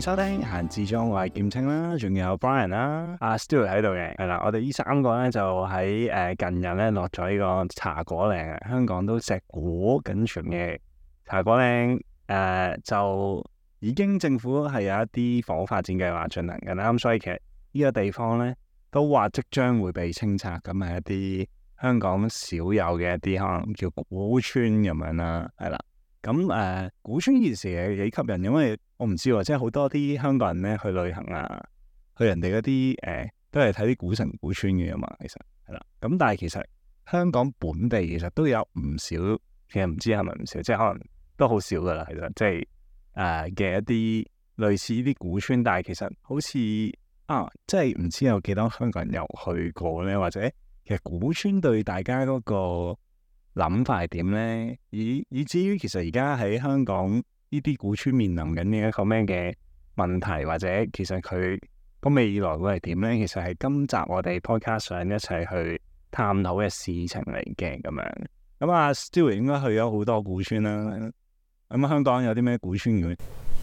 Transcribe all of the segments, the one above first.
收聽閒置中，我係劍青啦，仲有 Brian 啦，阿 Stuart 喺度嘅，係啦，我哋呢三個咧就喺近日咧落咗呢個茶果嶺啊，香港都碩果僅存嘅茶果嶺就已經政府係有一啲房屋發展計劃進行緊啦，咁所以其實呢個地方咧都話即將會被清拆，咁係一啲香港少有嘅一啲可能叫古村咁樣啦，係啦。咁古村呢件事係幾吸引，因為我唔知喎，即係好多啲香港人咧去旅行啊，去人哋嗰啲都係睇啲古城古村嘅嘛，其實係啦。咁但係其實香港本地其實都有唔少，其實唔知係咪唔少，即係可能都好少噶啦，其實即係嘅一啲類似呢啲古村，但係其實好似即係唔知有幾多香港人有去過咧，或者其實古村對大家嗰個諗法係點咧？以至於其實而家喺香港呢啲古村面臨緊嘅一個咩嘅問題，或者其實佢個未來會係點咧？其實係今集我哋 podcast 上一齊去探討嘅事情嚟嘅咁樣。咁阿 Stuart 應該去咗好多古村啦。咁香港有啲咩古村嘅？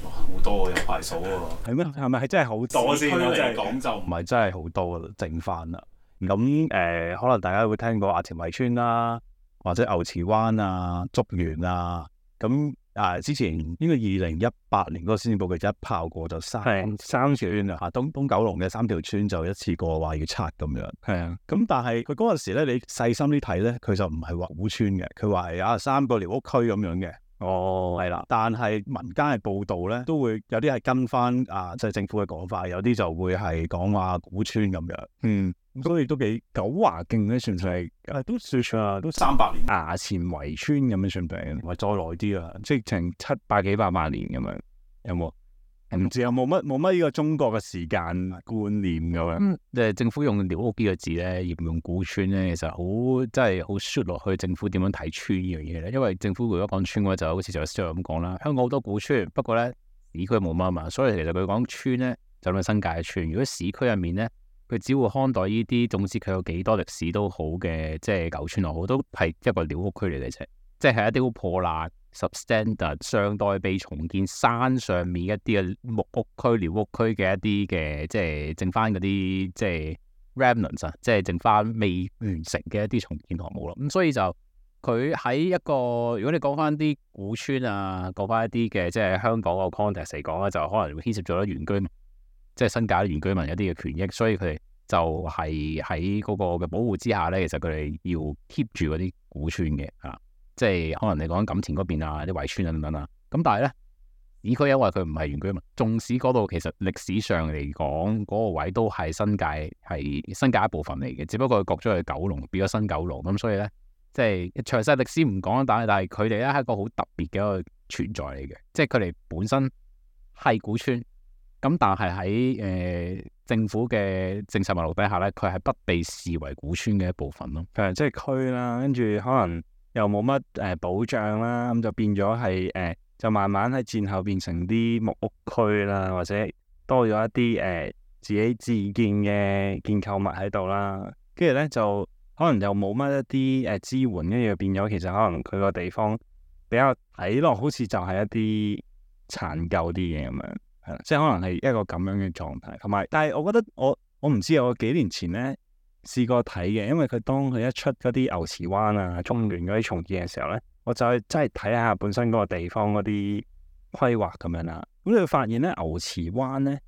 哇，好多有排數喎。係咩？係咪係真係好多先？市區嚟講就唔係真係好多啦，剩翻啦。咁可能大家會聽過阿田圍村啦。或者牛池灣啊、竹園啊，咁之前應該2018年嗰個施政報告一炮過就三條村啊，東九龍嘅3條村就一次過話要拆咁樣。係啊，咁但係佢嗰陣時咧，你細心啲睇咧，佢就唔係話古村嘅，佢話係3個寮屋區咁樣嘅。哦，係啦，但係民間嘅報導咧，都會有啲係跟翻即係政府嘅講法，有啲就會係講話古村咁樣。所以都幾九華徑咧，算唔算係？都算啊，都300年。衙前圍村咁樣算唔算？或再耐啲啊，即係成700幾800年咁樣，有冇？唔知有冇乜呢個中國嘅時間觀念咁樣？即係政府用寮屋呢個字咧，而唔用古村咧，其實好真係好 shoot 落去政府點樣睇村呢樣嘢咧。因為政府如果講村嘅話，就好似就 Stuart 咁講啦，香港好多古村，不過咧市區冇乜啊嘛，所以其實佢講村咧就係新界嘅村。如果市區入面咧，佢只會看待呢啲，總之佢有幾多歷史都好嘅，即係舊村又好，都係一個寮屋區嚟嘅啫。即係一啲好破爛、substandard、尚待被重建山上面一啲嘅木屋區、寮屋區嘅一啲嘅，即係剩翻嗰啲即係 remnants 啊，即係剩翻未完成嘅一啲重建項目咯。咁所以就佢喺一個，如果你講翻啲古村啊，講翻一啲嘅即係香港個 context 嚟講咧，就可能會牽涉咗原居民。即係新界原居民一啲嘅權益，所以佢哋就係喺嗰個嘅保護之下咧，其實佢哋要 keep 住嗰啲古村嘅即係可能你講錦田嗰邊啊，啲圍村啊等等啊。咁但係咧，市區因為佢唔係原居民，縱使嗰度其實歷史上嚟講嗰個位都係新界一部分嚟嘅，只不過佢割咗去九龍，變咗新九龍咁，所以咧即係詳細歷史唔講，但係佢哋咧係一個好特別嘅一個存在嚟嘅，即係佢哋本身係古村。咁但係喺政府嘅政策脈絡底下咧，佢係不被視為古村嘅一部分咯。即係區啦，跟住可能又冇乜保障啦，咁就變咗係就慢慢喺戰後變成啲木屋區啦，或者多咗一啲自己自建嘅建構物喺度啦。跟住咧就可能又冇乜一啲支援，跟住變咗其實可能佢個地方比較睇落好似就係一啲殘舊啲嘢咁樣。即係可能係一個咁樣嘅狀態，同埋，但係我覺得我唔知，我幾年前咧試過睇嘅，因為佢當佢一出嗰啲牛池灣啊、中聯嗰啲重建嘅時候咧，我就去真係睇下本身嗰個地方嗰啲規劃咁樣啦。咁你會發現咧，牛池灣咧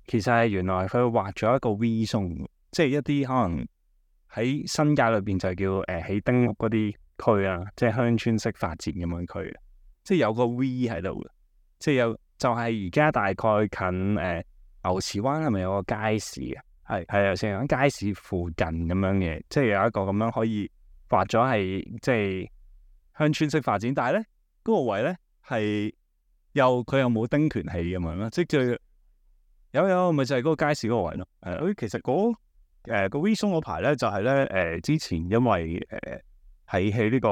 其實係原來佢畫咗一個 V 松，即係一啲可能喺新界裏邊就叫起丁屋嗰啲區啊，即係鄉村式發展咁樣區，即係有個 V 喺度嘅，即係有。就係而家大概近牛池灣係咪有個街市啊？係啊，成間街市附近咁樣嘅，即係有一個咁樣可以畫咗係即係鄉村式發展，但係咧嗰個位咧係佢又冇丁權器咁樣啦，即係有咪就係嗰個街市嗰個位咯。其實個 V 松嗰排咧就係咧之前因為喺呢個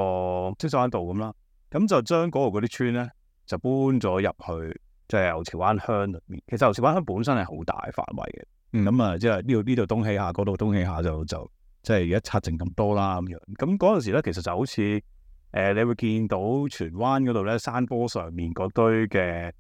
積水灣道咁啦，咁就將嗰度嗰啲村咧就搬咗入去。即係牛池灣鄉裏面，其實牛池灣鄉本身係好大範圍嘅，咁即係呢度東起下，嗰度東起下就即係而家拆剩咁多啦咁樣。咁嗰陣時咧，其實就好似你會見到荃灣嗰度咧，山坡上面嗰堆嘅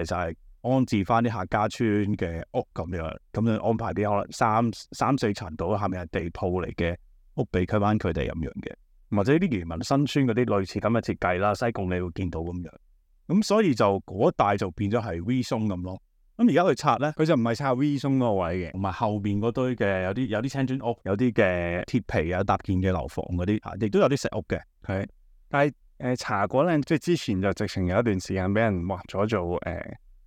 就係安置翻啲客家村嘅屋咁樣安排啲可能三四層度下面係地鋪嚟嘅屋俾翻佢哋咁樣嘅，或者啲漁民新村嗰啲類似咁嘅設計啦，西貢你會見到咁樣。咁所以就嗰一帶就變咗係 V 松咁咯。咁而家佢拆咧，佢就唔係拆 V 松嗰個位嘅，同埋後邊嗰堆嘅有啲青磚屋，有啲嘅鐵皮啊搭建嘅樓房嗰啲，亦都有啲石屋嘅。係，但係茶果嶺即係之前就直情有一段時間俾人劃咗做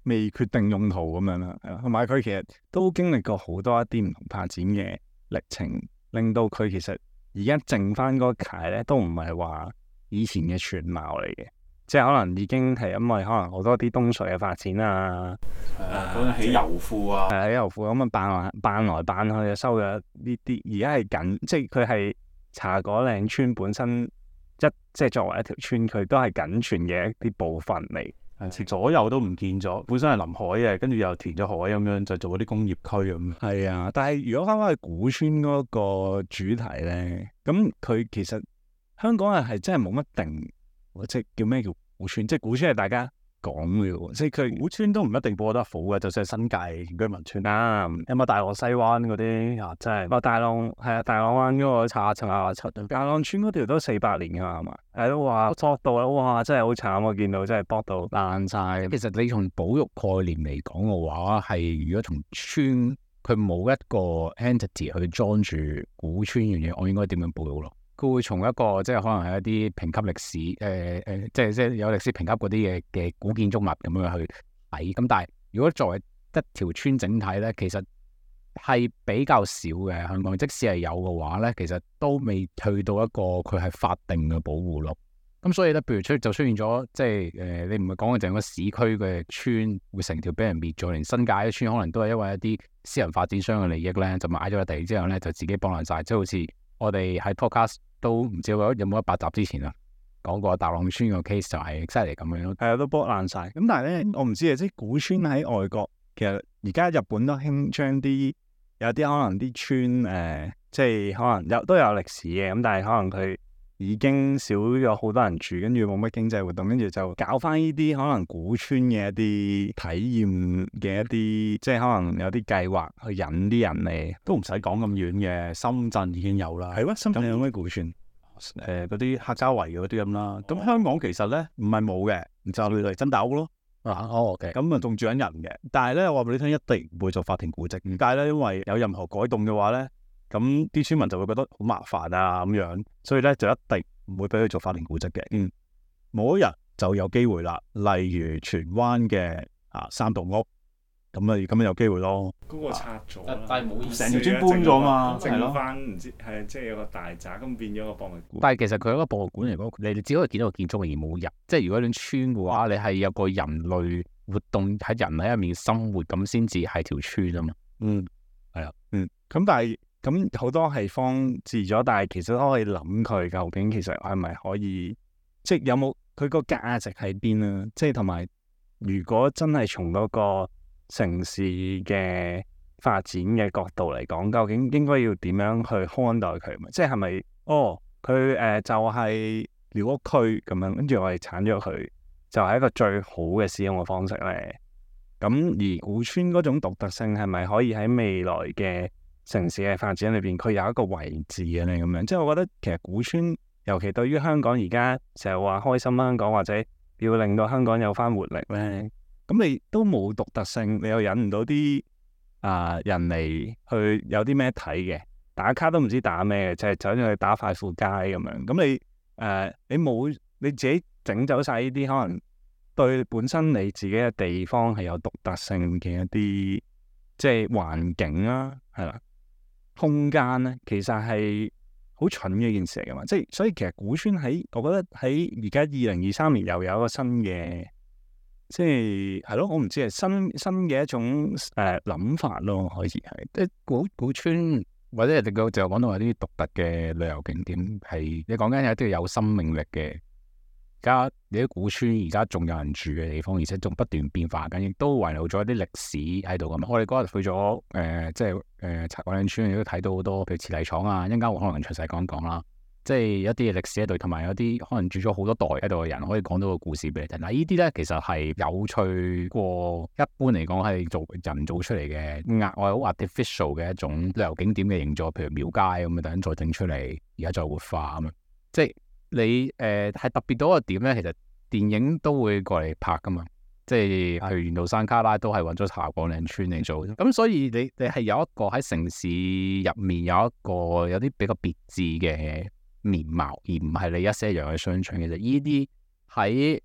未決定用途咁樣啦，同埋佢其實都經歷過好多一啲唔同發展嘅歷程，令到佢其實而家剩翻嗰塊咧都唔係話以前嘅全貌嚟嘅。即係可能已經係因為可能好多啲東水嘅發展啊，嗰陣起油庫啊，起油庫咁啊扮來扮去收咗呢啲，而家係緊，即係佢係茶果嶺村本身即係作為一條村，佢都係僅存嘅一啲部分嚟，左右都唔見咗，本身係臨海嘅，跟住又填咗海咁樣，就做嗰啲工業區咁。係啊，但係如果翻返去古村嗰個主題咧，咁佢其實香港人係真係冇乜定。即係叫咩叫古村？即係古村係大家講嘅喎，即係佢古村都唔一定播得好嘅，就算係新界原居民村啦，有冇大浪西灣嗰啲啊？真係，大浪係啊，大浪灣嗰個87大浪村嗰條都400年㗎嘛，係嘛？係都話剝到啦，哇！真係好慘，我見到真係剝到爛晒。其實你從保育概念嚟講嘅話，係如果從村佢冇一個 entity 去裝住古村樣嘢，我應該點樣保育咯？佢會從一個即係可能係一啲評級歷史即係有歷史評級嗰啲嘅古建築物咁樣去睇。咁但係如果作為一條村整體咧，其實係比較少嘅香港。即使係有嘅話咧，其實都未去到一個佢係法定嘅保護咯。咁所以咧，譬如出現咗即係你唔係講嘅淨係個市區嘅村會成條俾人滅咗，連新界嘅村可能都係因為一啲私人發展商嘅利益咧，就買咗個地之後咧就自己幫爛晒，即係好似我哋喺 podcast 都唔知有冇100集之前啊講過大浪村個 case 就係犀利咁樣咯，係啊，都剝爛晒。咁但係咧，我唔知啊，即係古村喺外國，其實而家日本都興將啲有啲可能啲村即係可能都有歷史嘅，咁但係可能佢已經少咗好多人住，跟住冇乜經濟活動，跟住就搞翻呢啲可能古村嘅一啲體驗嘅一啲，即係可能有啲計劃去引啲人嚟，都唔使講咁遠嘅，深圳已經有啦。係咩？深圳有咩古村？嗰啲客家圍嗰啲咁啦。咁香港其實咧唔係冇嘅，就嚟真大屋咯。OK。咁啊仲住緊人嘅，但係咧我話俾你聽，一定唔會做法庭古蹟。點解咧？因為有任何改動嘅話咧，咁啲村民就會覺得好麻煩啊咁樣，所以咧就一定唔會俾佢做法定古蹟嘅。某一日就有機會啦，例如荃灣嘅三棟屋，咁有機會咯。嗰個拆咗，但係冇意思，成條村搬咗嘛，剩翻唔知係即係有個大宅咁變咗個博物館。但係其實佢一個博物館嚟講，你只可以見到個建築而冇人。即係如果你村嘅話，你係有個人類活動喺人喺入面生活咁先至係條村啊嘛。係啊，咁但係。咁好多係放置咗，但係其實都可以諗佢究竟其實係咪可以，即係有冇佢個價值喺邊啊？即係同埋，如果真係從嗰個城市嘅發展嘅角度嚟講，究竟應該要點樣去看待佢？即係係咪佢就係寮屋區咁樣，跟住我哋剷咗佢，就係一個最好嘅使用嘅方式咧？咁而古村嗰種獨特性係咪可以喺未來嘅城市嘅發展裏邊，佢有一個位置嘅咧？咁樣，即係我覺得其實古村，尤其對於香港而家成日話開心香港，或者要令到香港有翻活力咧，咁你都冇獨特性，你又引唔到啲人嚟去有啲咩睇嘅，打卡都唔知打咩嘅，就係走咗去打快富街咁樣。咁你冇你自己整走晒呢啲可能對本身你自己嘅地方係有獨特性嘅一啲即係環境啦，係啦。空間咧，其實係好蠢嘅一件事嚟噶嘛，即係所以其實古村我覺得喺而家2023年又有一個新嘅，即係咯，我唔知係新嘅一種諗法咯，可以係即係古村或者人哋就講到話啲獨特嘅旅遊景點係你講緊有啲有生命力嘅。而家你啲古村而家仲有人住嘅地方，而且仲不斷變化緊，亦都遺留咗一啲歷史喺度咁。我哋嗰日去咗茶果嶺村，亦都睇到好多譬如瓷泥廠啊，一陣間我可能詳細講一講啦。即係一啲歷史喺度，同埋有啲可能住咗好多代喺度嘅人，可以講到個故事俾你聽。嗱，呢啲咧其實係有趣過一般嚟講係做人做出嚟嘅額外好 artificial 嘅一種旅遊景點嘅營造，譬如廟街咁樣，突然再整出嚟，而家再活化咁樣。即係你係特別到一個點咧，其實電影都會過嚟拍噶嘛。即係譬如緣路山旮旯都係揾咗茶果嶺村嚟做，咁所以你係有一個喺城市入面有啲比較別致嘅面貌，而唔係你一些樣嘅商場。其實呢啲喺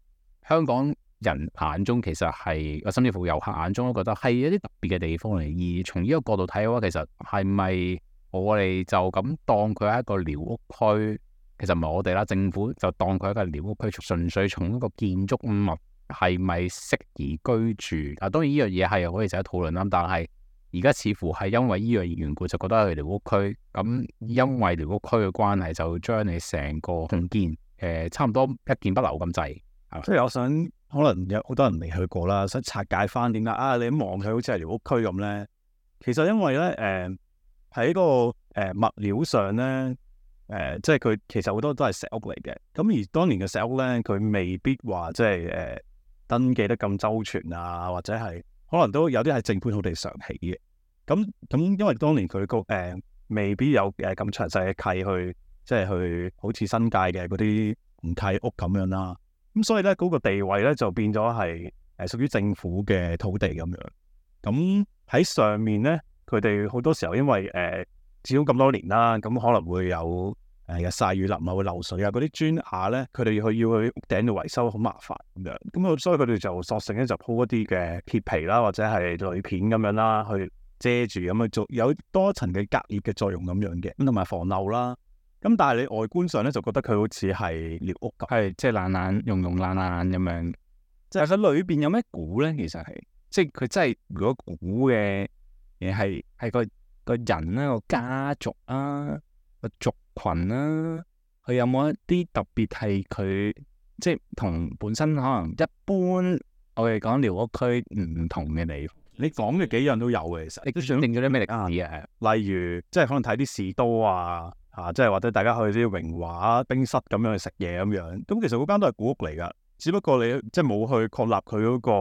香港人眼中，其實係甚至乎遊客眼中都覺得係一啲特別嘅地方嚟。而從呢個角度睇嘅話，其實係咪我哋就咁當佢係一個寮屋區？其實唔係我哋啦，政府就當佢係一個寮屋區，純粹從一個建築物係咪適宜居住？當然呢樣嘢係可以值得討論啦。但係而家似乎係因為呢樣緣故，就覺得係寮屋區。咁因為寮屋區嘅關係，就將你成個重建差唔多一件不留咁滯。即係我想，可能有好多人未去過啦，想拆解翻點解你一望佢好似係寮屋區咁咧。其實因為咧喺個物料上咧即係佢其實好多都係石屋嚟嘅。咁而當年嘅石屋咧，佢未必話即係登記得咁周全啊，或者係可能都有啲係正本土地上起嘅。咁因為當年佢個未必有咁詳細嘅契去，即係去好似新界嘅嗰啲唔契屋咁樣啦。咁所以咧嗰個地位咧就變咗係屬於政府嘅土地咁樣。咁喺上面咧，佢哋好多時候因為始終咁多年啦，咁可能會有日曬雨淋啊，會漏水啊，嗰啲磚瓦咧，佢哋要去屋頂度維修，好麻煩咁樣。咁所以佢哋就索性咧就鋪一啲嘅鐵皮啦，或者係鋁片咁樣啦，去遮住咁去做，有多層嘅隔熱嘅作用咁樣嘅，咁同埋防漏啦。咁但係你外觀上咧就覺得佢好似係寮屋咁，係即係爛爛咁樣。就係佢裏邊有咩估咧？其實係即係佢真係如果估嘅嘢係個人啦，個家族啊，個族群啦，佢有冇一啲特別係佢即係同本身可能一般我哋講寮屋區唔同嘅地方？你講嘅幾樣都有嘅，其實你都想定咗啲咩歷史啊？例如即係可能睇啲士多啊，即係或者大家去啲榮華冰室咁樣去食嘢咁樣。咁其實嗰間都係古屋嚟㗎，只不過你即係冇去確立佢嗰個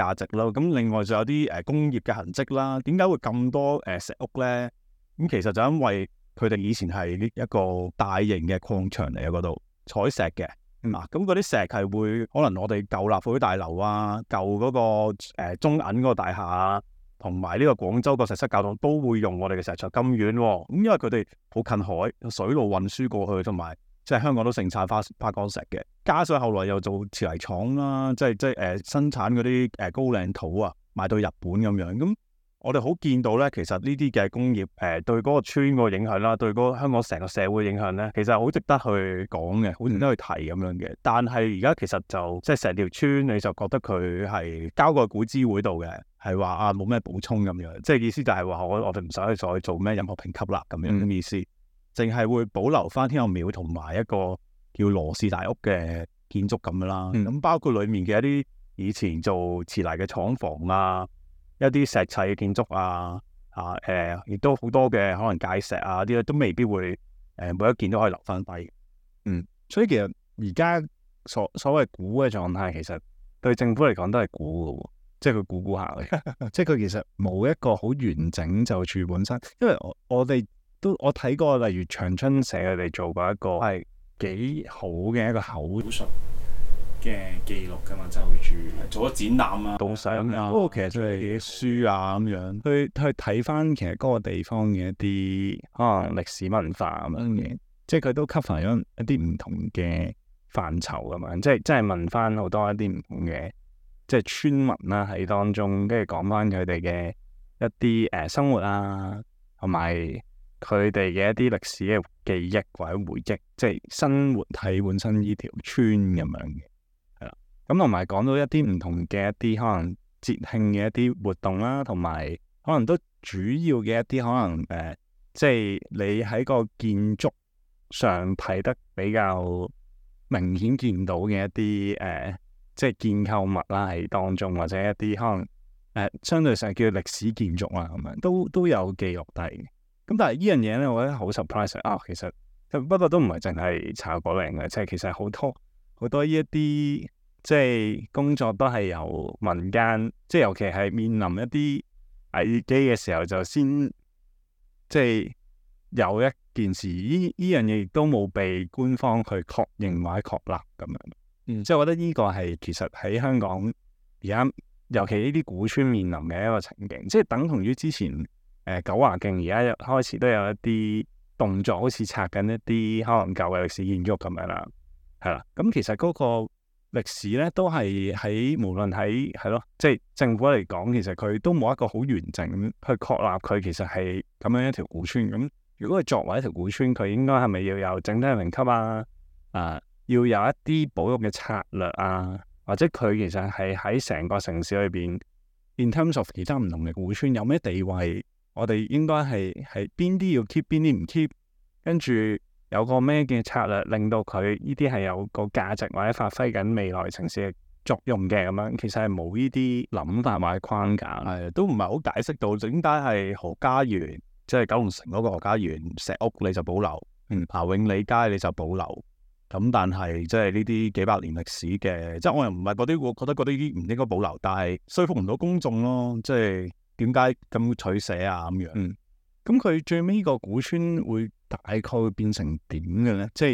價值咯。咁另外就有啲工業嘅痕跡啦。點解會咁多石屋咧？咁其實就因為佢哋以前係一個大型嘅礦場嚟嘅，嗰度採石嘅。咁嗰啲石係會可能我哋舊立法會大樓啊、舊嗰個中銀嗰個大廈啊，同埋呢個廣州個石室教堂都會用我哋嘅石材咁遠喎。咁因為佢哋好近海，水路運輸過去，同埋即係香港都盛產花崗石嘅。加上後來又做瓷泥廠啦，即係生產嗰啲高嶺土啊，賣到日本咁樣。咁我哋好見到咧，其實呢啲嘅工業對嗰個村個影響啦，對嗰個香港成個社會影響咧，其實係好值得去講嘅，好值得去提咁樣嘅。但係而家其實就即係成條村，你就覺得佢係交過古諮會度嘅，係話冇咩補充咁樣，即係意思就係話我哋唔使再做咩任何評級啦咁樣嘅意思，淨係會保留翻天后廟同埋一個叫羅氏大屋嘅建築咁樣啦。咁包括裡面嘅一啲以前做瓷泥嘅廠房啊。一啲石砌嘅建築啊，亦都好多嘅可能界石啊啲咧，都未必會每一件都可以留翻低。所以其實而家所謂估嘅狀態，其實對政府嚟講都係估嘅喎，即係佢估下嘅，即係佢其實冇一個好完整就住本身。因為我睇過，例如長春社佢哋做過一個係幾好嘅一個口述嘅記錄噶嘛，即係會住做咗展覽啊、導賞啊，不過其實都係書啊咁樣，去睇翻其實嗰個地方嘅一啲可能歷史文化咁樣嘅，即係佢都 cover 咗一啲唔同嘅範疇咁樣，即係問翻好多一啲唔同嘅即係村民啦喺當中，跟住講翻佢哋嘅一啲生活啊，同埋佢哋嘅一啲歷史嘅記憶或者回憶，即係生活喺本身呢條村咁樣嘅。咁同埋講到一啲唔同嘅一啲可能節慶嘅一啲活動啦，同埋可能都主要嘅一啲可能即係你喺個建築上睇得比較明顯見到嘅一啲即係建構物啦喺當中，或者一啲可能相對上叫歷史建築啊咁樣，都有記錄低嘅。咁但係呢樣嘢咧，我覺得好 surprise 啊！其實不過都唔係淨係茶果嶺嘅，即係其實好多呢一啲即係工作都係由民間，即係尤其係面臨一啲危機嘅時候，就先即係有一件事，呢樣嘢亦都冇被官方去確認或者確立咁樣。即係我覺得呢個係其實喺香港而家，尤其呢啲古村面臨嘅一個情景，即係等同於之前九華徑而家開始都有一啲動作，好似拆緊一啲可能舊嘅歷史建築咁樣啦，係啦。咁其實嗰個歷史咧都係喺無論喺係咯，即係政府嚟講，其實佢都冇一個好完整去確立佢其實係咁樣一條古村。咁如果佢作為一條古村，佢應該係咪要有整體評級啊？要有一啲保育嘅策略啊，或者佢其實係喺成個城市裏邊 ，in terms of 其他唔同嘅古村有咩地位？我哋應該係邊啲要 keep，邊啲唔 keep，跟住有個咩嘅策略令到佢呢啲係有個價值或者發揮緊未來城市嘅作用嘅咁樣，其實係冇呢啲諗法或者框架，係都唔係好解釋到點解係何家園，即係九龍城嗰個何家園石屋你就保留，永利街你就保留。咁但係即係呢啲幾百年歷史嘅，即係我又唔係嗰啲，我覺得嗰啲唔應該保留，但係說服唔到公眾咯。即係點解咁取捨啊咁樣？咁佢最尾個古村會大概會變成點嘅咧？即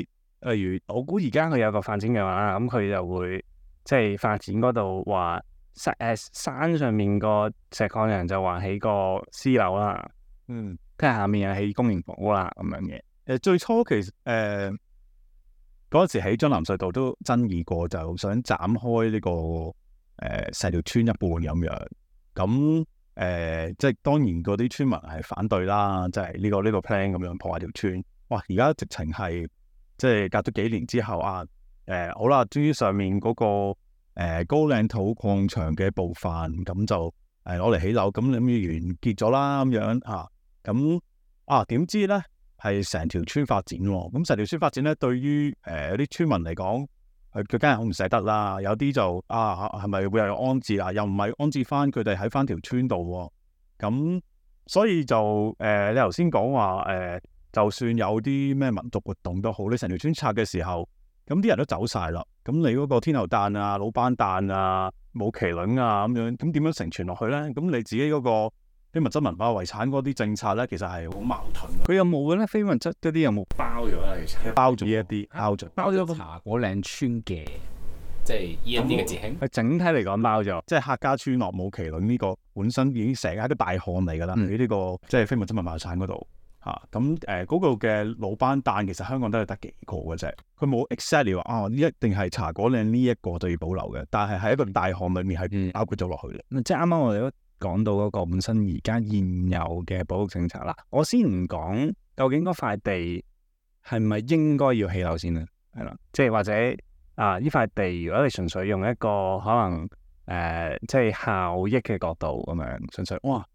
係例如我估而家佢有個發展嘅話，咁佢就會即係發展嗰度話山上面個石礦人就話起個私樓啦，跟住下面又起公營房屋啦咁樣嘅。最初其實嗰陣時喺將藍隧道都爭議過，就想斬開呢個成條村一半咁樣。咁即係當然嗰啲村民係反對啦，即係呢個 plan 咁樣破壞條村。哇！而家直情係即係隔咗幾年之後啊，好啦，終於上面嗰個高嶺土礦場嘅部分咁就攞嚟起樓，咁諗住完結咗啦咁樣啊。咁點知咧？係成條村發展喎，咁成條村發展咧，對於有啲村民嚟講，佢梗係好唔捨得啦。有啲就係咪會有安置啊？又唔係安置翻佢哋喺翻條村度喎。咁所以就你頭先講話就算有啲咩民族活動都好，你成條村拆嘅時候，咁啲人都走晒啦。咁你嗰個天后誕啊、老班誕啊、舞麒麟啊咁樣，咁點樣承傳落去咧？咁你自己嗰個非物質文化遺產嗰啲政策咧，其實係好矛盾。佢有冇嘅咧？非物質嗰啲有冇包咗啊？其實包咗呢一啲，包咗個茶果嶺村嘅，即係呢一啲嘅節慶。佢整體嚟講包咗，即係客家村落舞麒麟呢個本身已經成係一個大項嚟㗎啦。喺呢個即係非物質文化遺產嗰度嚇，咁嗰個嘅老班誕其實香港都係得幾個嘅啫。佢冇 exactly 話一定係茶果嶺呢一個就要保留嘅，但係喺一個大項裡面係包括咗落去嘅。即係啱啱我哋都講到嗰個本身而家現有嘅保育政策啦，我先唔講究竟嗰塊地係咪應該要起樓先啦，係啦，即係或者呢塊地如果你純粹用一個可能即係效益嘅角度咁樣，純粹哇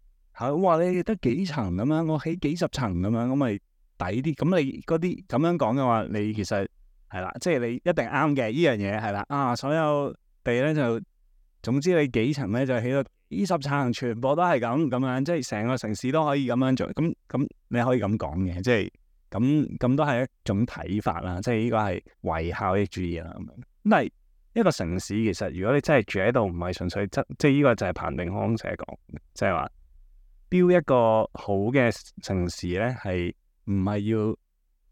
你得幾層咁樣，我起幾十層咁樣，咁咪抵啲。咁你嗰啲咁樣講嘅話，你其實係啦，即係你一定啱嘅呢樣嘢係啦。所有地咧就總之你幾層咧就起到幾十層，全部都係咁樣，即係成個城市都可以咁樣做。咁你可以咁講嘅，即係咁都係一種睇法啦。即係呢個係為效益主義啦咁樣。咁但係一個城市其實如果你真係住喺度，唔係純粹即係呢個就係彭定康成日講，即係話標一個好嘅城市咧，係唔係要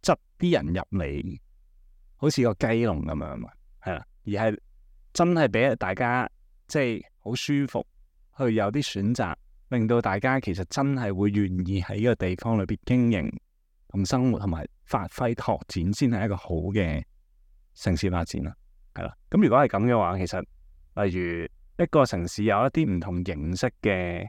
執啲人入嚟，好似個雞籠咁樣嘛？係啦，而係真係俾大家即係好舒服，去有啲選擇，令到大家其實真係會願意喺呢個地方裏邊經營同生活同埋發揮拓展，先係一個好嘅城市發展啦。係啦，咁如果係咁嘅話，其實例如一個城市有一啲唔同形式嘅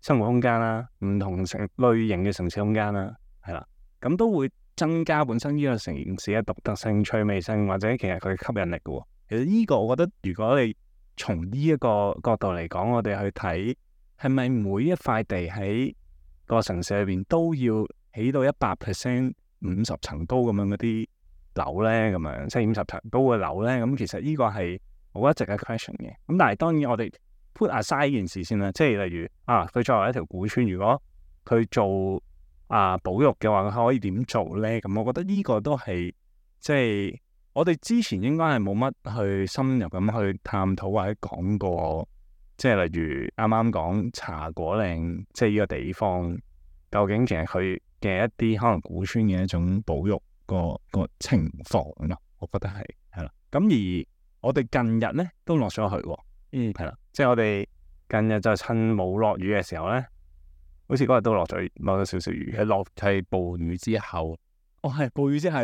生活空間啦，唔同類型嘅城市空間啦，係啦，咁都會增加本身呢個城市嘅獨特性、趣味性，或者其實佢嘅吸引力嘅。其實呢個我覺得，如果你從呢一個角度嚟講，我哋去睇係咪每一塊地喺個城市裏邊都要起到100% 50層高咁樣嗰啲樓咧，咁樣即係50層高嘅樓咧，咁其實呢個係好一直嘅 question 嘅。咁但係當然我哋put aside 呢件事先啦，即係例如佢作為一條古村，如果佢做保育嘅話，可以點做咧？咁我覺得呢個都係即係我哋之前應該係冇乜去深入咁去探討或者講過，即係例如啱啱講茶果嶺，即係呢個地方究竟其實佢嘅一啲可能古村嘅一種保育個情況咯，我覺得係啦。咁而我哋近日咧都落咗去喎，係啦，即係我哋近日就趁冇落雨嘅時候咧。好似嗰日都落咗少少雨，係暴雨之後，係暴雨之後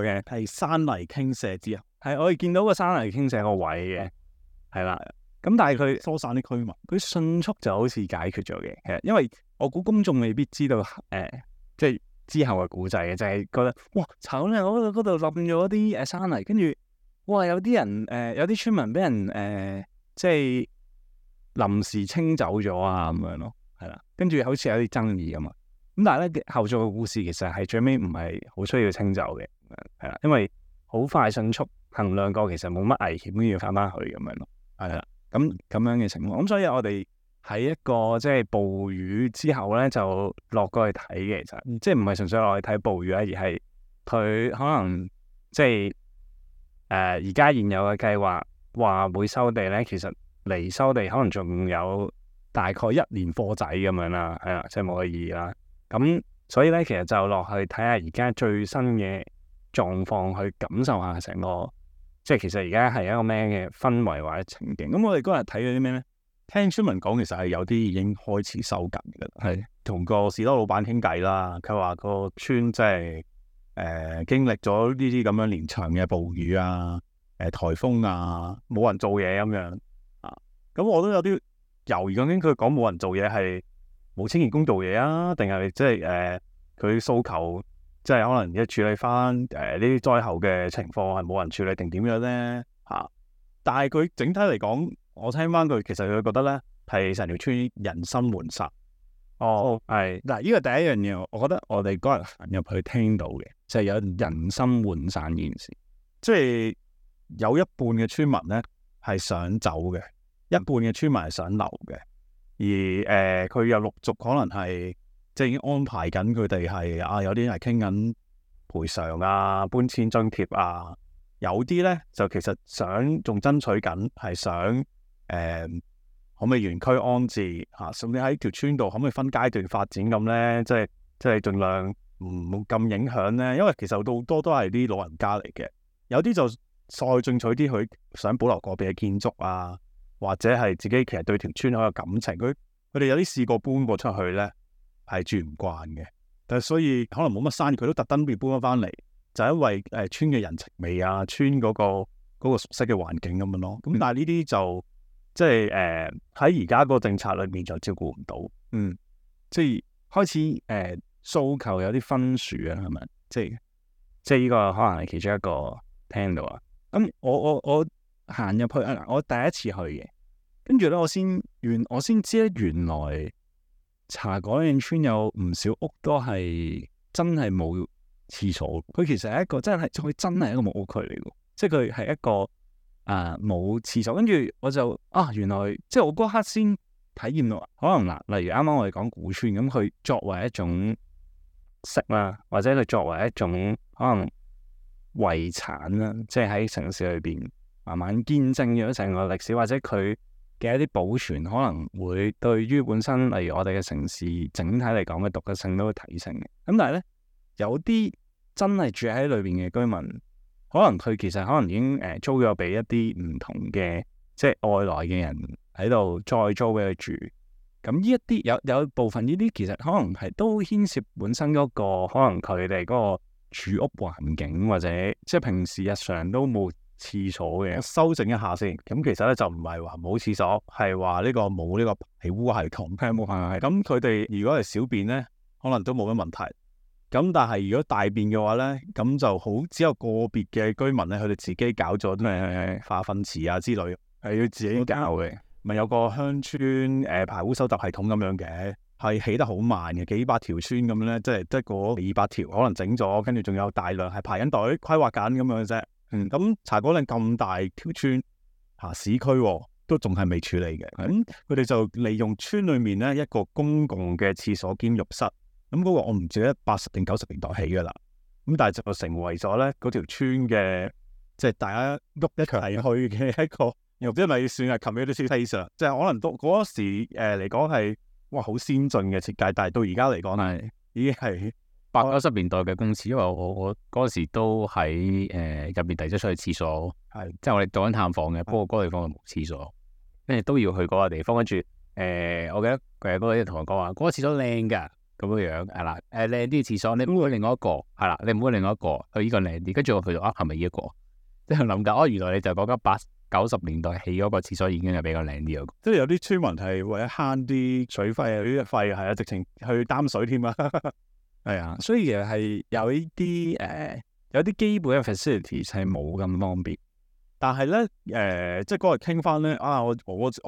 嘅，係山泥傾瀉之後，係我哋見到個山泥傾瀉個位嘅，係啦。咁但係佢疏散啲居民，佢迅速就好似解決咗嘅。其實因為我估公眾未必知道即係之後嘅故仔嘅，就係覺得哇，慘咧！嗰度冧咗啲山泥，跟住哇有啲人有啲村民俾人即係臨時清走咗啊咁樣咯。係啦，跟住好似有啲爭議咁嘛，咁但係咧後續嘅故事其實係最尾唔係好需要清走嘅，係啦，因為好快迅速衡量過其實冇乜危險，都要翻去咁樣咯，係啦，咁樣嘅情況，咁所以我哋喺一個即係暴雨之後咧就落過去睇嘅，其實即係唔係純粹落去睇暴雨啊，而係佢可能即係而家現有嘅計劃話會收地咧，其實離收地可能仲有大概1年貨仔咁樣啦，係啦，即係冇乜意義啦。咁所以咧，其實就落去睇下而家最新嘅狀況，去感受下成個，即係其實而家係一個咩嘅氛圍或者情景。咁我哋嗰日睇咗啲咩咧？聽村民講，其實係有啲已經開始收緊嘅啦。係同個士多老闆傾偈啦，佢話個村即係經歷咗呢啲咁樣連場嘅暴雨啊、颱風啊，冇人做嘢咁樣啊。咁我都有啲猶豫，究竟佢講冇人做嘢係冇清潔工做嘢啊，定係即係佢訴求即係可能而家處理翻呢啲災後嘅情況係冇人處理定點樣咧嚇？但係佢整體嚟講，我聽翻佢其實佢覺得咧係成條村人心渙散。係嗱，呢個第一樣嘢，我覺得我哋嗰日行入去聽到嘅就係有人心渙散呢件事，即係有一半嘅村民咧係想走嘅。一半嘅村民係想留嘅，而佢又陸續可能係即係已經安排緊佢哋係有啲係傾緊賠償啊、搬遷津貼啊，有啲咧就其實想仲爭取緊係想可唔可以原區安置嚇，甚至喺條村度可唔可以分階段發展咁咧？即係盡量唔咁影響咧，因為其實好多都係啲老人家嚟嘅，有啲就再進取啲，佢想保留個別嘅建築啊。或者係自己其實對條村好有感情，佢哋有啲試過搬過出去咧，係住唔慣嘅，但係所以可能冇乜生意，佢都特登要搬咗翻嚟，就係因為村嘅人情味啊，村嗰個熟悉嘅環境咁樣咯。咁但係呢啲就即係喺而家個政策裏面就照顧唔到，即係開始訴求有啲分殊啊，係咪？即係呢個可能係其中一個聽到啊。咁我行入去啊！我第一次去嘅，跟住咧我先知咧，原來茶果嶺村有唔少屋都係真係冇廁所。佢其實係一個佢真係一個木屋區嚟嘅，即係佢係一個冇廁所。跟住我就原來即係我嗰刻先體驗到，可能嗱，例如啱啱我哋講古村咁，佢作為一種色啦，或者佢作為一種可能遺產啦，即係喺城市裏邊。慢慢見證咗成個歷史，或者佢嘅一啲保存，可能會對於本身例如我哋嘅城市整體嚟講嘅獨特性都會提升嘅。咁但係咧，有啲真係住喺裏邊嘅居民，可能佢其實可能已經租咗俾一啲唔同嘅即係外來嘅人喺度再租俾佢住。咁呢一啲有部分呢啲其實可能係都牽涉本身嗰個可能佢哋嗰個住屋環境，或者即係平時日常都冇廁所嘅。修正一下先，咁其實咧就唔係話冇廁所，係話呢個冇呢個排污系統，係冇排污系統。咁佢哋如果係小便咧，可能都冇乜問題。咁但係如果大便嘅話咧，咁就好只有個別嘅居民咧，佢哋自己搞咗咩化糞池啊之類，係要自己搞嘅。咪有個鄉村排污收集系統咁樣嘅，係起得好慢嘅，幾百條村咁樣咧，即係得嗰200條可能整咗，跟住仲有大量係排緊隊規劃緊咁樣啫。咁茶果嶺咁大條村市區都仲係未處理嘅，咁佢哋就利用村裏面咧一個公共嘅廁所兼浴室咁嗰個我唔記得80定90年代起㗎啦。咁但係就成為咗咧嗰條村嘅，即係大家喐一齊去嘅一個，又唔知係咪算係 community space，即係可能都嗰時嚟講係哇好先進嘅設計，但係到而家嚟講係已經係80、90年代嘅公廁，因為我嗰時都喺入面遞咗出去廁所，係即係我哋做緊探訪嘅，不過嗰個地方係冇廁所，跟住都要去嗰個地方，跟住我記得嗰個人同我講話，嗰個廁所靚㗎。咁樣樣係啦，靚啲嘅廁所，你唔好去另外一個係啦，你唔好去另外一個，去呢個靚啲。跟住我去到係咪呢一個？即係諗緊，原來你就講緊80、90年代起嗰個廁所已經係比較靚啲嗰個。即係有啲村民係為咗慳啲水費啊，啲費係啊，直情去擔水添啊。係啊，所以其實係有呢啲有啲基本嘅 facilities 係冇咁方便。但係咧即係嗰日傾翻咧我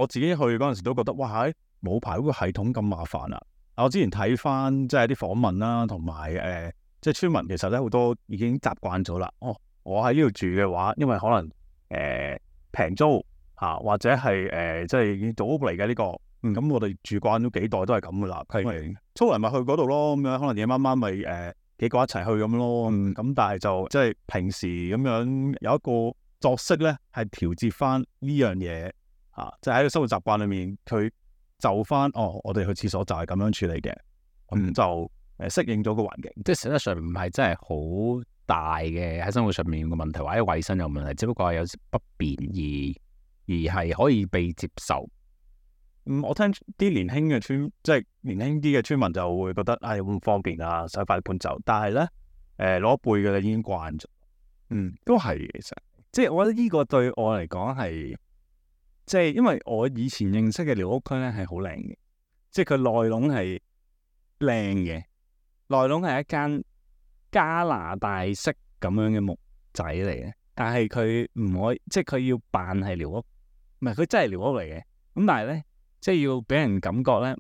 自己去嗰陣時都覺得哇，冇排嗰個系統咁麻煩啊！我之前睇翻即係啲訪問啦，同埋即係村民其實咧好多已經習慣咗啦。我喺呢度住嘅話，因為可能平租或者係即係已經組屋嚟嘅呢個，咁我哋住慣咗幾代都係咁噶啦。係粗嚟咪去嗰度咯，咁樣可能夜晚晚咪幾個一齊去咁咯。咁但係就即係平時咁樣有一個作息咧，係調節翻呢樣嘢即係喺個生活習慣裏面佢。就翻我哋去廁所就係咁樣處理嘅，咁就適應咗個環境，即係實質上唔係真係好大嘅喺生活上面嘅問題，或者衞生有問題，只不過係有不便而係可以被接受。我聽啲年輕嘅即係年輕啲嘅村民就會覺得好唔方便啊，想快啲搬走。但係咧老一輩嘅已經慣咗，都係其實，即係我覺得呢個對我嚟講係。即係因為我以前認識嘅寮屋區咧係好靚嘅，即係佢內籠係靚嘅，內籠係一間加拿大式咁樣嘅木仔嚟嘅，但係佢唔可以，即係佢要扮係寮屋，唔係佢真係寮屋嚟嘅。咁但係咧，即係要俾人感覺咧，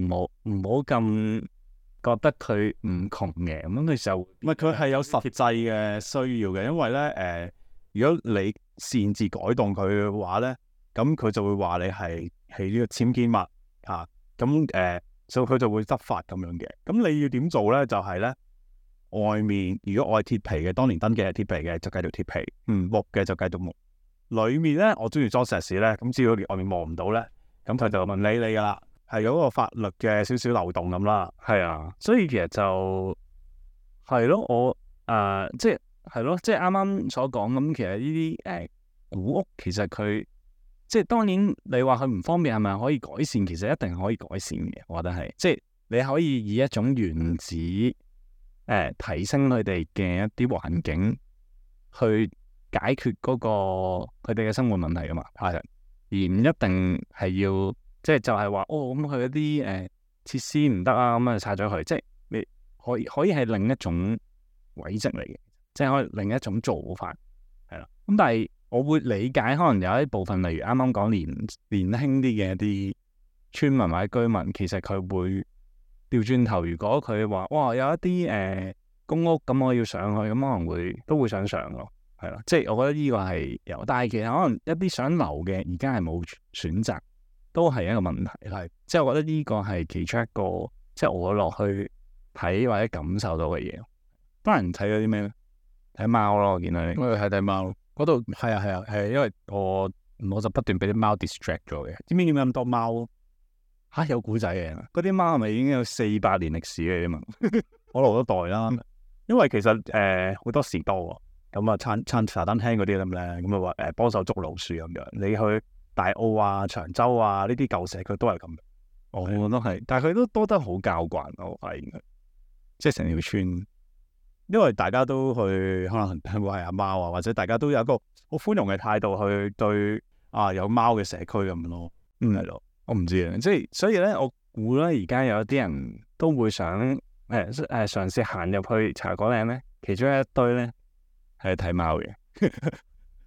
唔好咁覺得佢唔窮嘅，咁佢就唔係佢係有實際嘅需要嘅，因為咧如果你擅自改動佢嘅話咧。咁佢就會話你係呢個僭建物咁所以佢就會執法咁樣嘅。咁你要點做咧？就係咧，外面如果我係鐵皮嘅，當年登記係鐵皮嘅，就繼續鐵皮；木嘅就繼續木。裏面咧，我中意裝石屎咧，咁只要外面望唔到咧，咁佢就問你噶啦，係有嗰個法律嘅少少漏洞咁啦。係啊，所以其實就係咯，我即係係咯，即係啱啱所講咁，其實呢啲古屋其實佢。即係當然，你話佢唔方便係咪可以改善？其實一定係可以改善嘅，我覺得係。即係你可以以一種原子提升佢哋嘅一啲環境，去解決嗰個佢哋嘅生活問題噶嘛。係，而唔一定係要即係就係話咁佢一啲設施唔得啊，咁啊拆咗佢。即係你可以係另一種軌跡嚟嘅，即係可以另一種做法係啦。咁但係。我會理解，可能有一部分，例如啱啱講年輕啲嘅一啲村民或者居民，其實佢會調轉頭。如果佢話哇有一啲公屋咁，我要上去，咁可能都會想上咯，係啦。即係我覺得呢個係有，但係其實可能一啲想留嘅，而家係冇選擇，都係一個問題。係，即係我覺得呢個係其中一個，即係我落去睇或者感受到嘅嘢。班人睇咗啲咩咧？睇貓咯，我見到你。我睇貓。嗰度係啊，因為我就不斷俾啲貓 distract 咗嘅。知唔知點解咁多貓？有古仔嘅，嗰啲貓係咪已經有400年歷史嘅嘛？好耐多代啦。因為其實好多時多咁啊，撐茶餐廳嗰啲咁咧，咁啊話幫手捉老鼠咁樣。你去大澳啊、長洲啊呢啲舊社區都係咁。我都係，但係佢都多得好教慣，我發現佢，即係成條村。因為大家都去可能餵下貓啊，或者大家都有一個好寬容嘅態度去對有貓嘅社區咁樣咯。係咯，我唔知啊，即係所以咧，我估咧而家有啲人都會想嘗試行入去茶果嶺咧，其中一堆咧係睇貓嘅，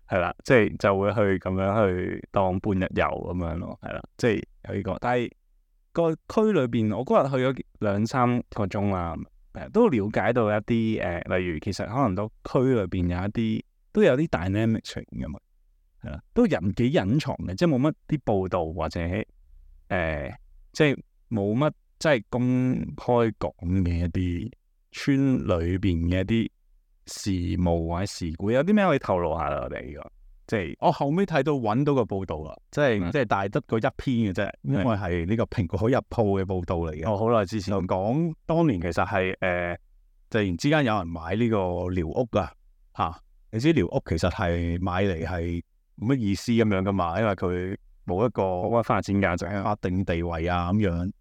係啦，即係就會去咁樣去當半日遊咁樣咯，係啦，即係有呢個。但係個區裏邊，我嗰日去咗2-3個鐘啦。都了解到一啲例如其實可能都區裏邊都有啲 dynamic 出現嘅嘛，係啦，都幾隱藏嘅，即係冇乜啲報道或者即係冇乜即係公開講嘅一啲村裏邊嘅一啲事務或者事故，有啲咩可以透露下啦？我哋呢個即係我後尾睇到揾到個報道啦，即係大得嗰一篇嘅啫，因為係呢個蘋果日報嘅報道嚟嘅。我好耐之前就講當年其實係突然之間有人買呢個寮屋啊，你知寮屋其實係買嚟係冇乜意思咁樣噶嘛，因為佢冇一個冇乜發展價值、法定地位啊咁樣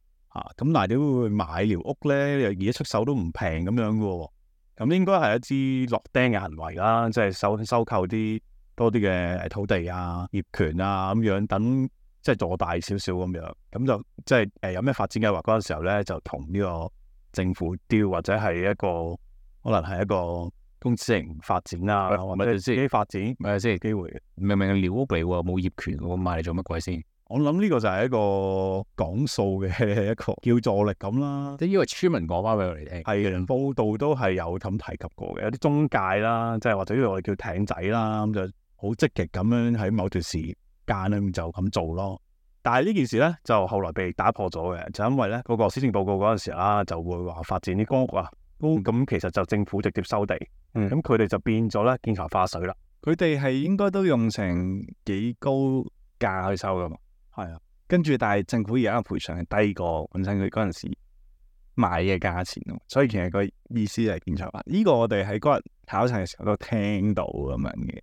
咁但係點會買寮屋咧？而家出手都唔平咁樣嘅喎，咁應該係一支落釘嘅行為啦，即係收購啲多啲嘅土地啊、業權啊咁樣，等即係做大少少咁樣，咁就即係有咩發展計劃嗰陣時候咧，就同呢個政府調或者係一個可能係一個公私營發展啊，或者自己發展，咪係先機會。明明寮屋嚟喎，冇業權喎，買嚟做乜鬼先？我諗呢個就係一個講數嘅一個叫助力咁啦。即係因為村民講翻俾我哋聽，係嘅，報道都係有咁提及過嘅，有啲中介啦，即係或者呢個我哋叫艇仔啦，咁就好積極咁樣喺某段時間咧就咁做咯。但係呢件事咧就後來被打破咗嘅，就因為咧嗰個施政報告嗰陣時啦，就會話發展啲公屋啊，咁其實就政府直接收地，咁佢哋就變咗咧見頭化水啦。佢哋係應該都用成幾高價去收噶嘛。係啊，跟住但係政府而家嘅賠償係低過本身佢嗰陣時買嘅價錢咯，所以其實個意思係見頭化。呢個我哋喺嗰日考察嘅時候都聽到咁樣嘅